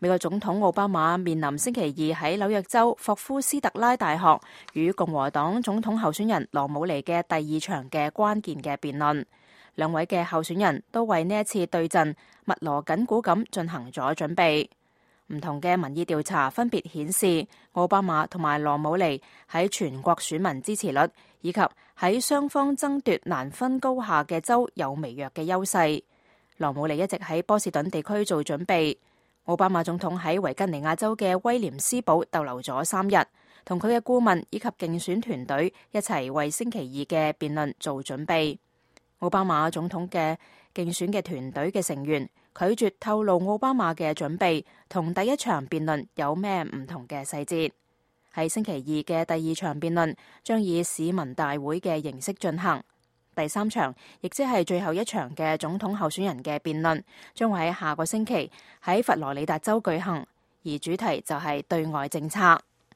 美國總統奧巴馬面臨星期二喺紐約州霍夫斯特拉大學與共和黨總統候選人羅姆尼嘅第二場嘅關鍵嘅辯論。兩位嘅候選人都為呢一次對陣密鑼緊鼓咁進行咗準備。唔同嘅民意調查分別顯示，奧巴馬同埋羅姆尼喺全國選民支持率以及喺雙方爭奪難分高下嘅州有微弱嘅優勢。羅姆尼一直喺波士頓地區做準備。奧巴馬總統喺維吉尼亞州嘅威廉斯堡逗留咗3日，同佢嘅顧問以及競選團隊一齊為星期二嘅辯論做準備。奧巴馬總統嘅競選嘅團隊嘅成員拒絕透露奧巴馬嘅準備同第一場辯論有咩唔同嘅細節。喺星期二嘅第二場辯論將以市民大會嘅形式進行。第三場，亦即係最後一場嘅總統候選人嘅辯論，將會喺下個星期喺佛羅里達州舉行，而主題就係對外政策。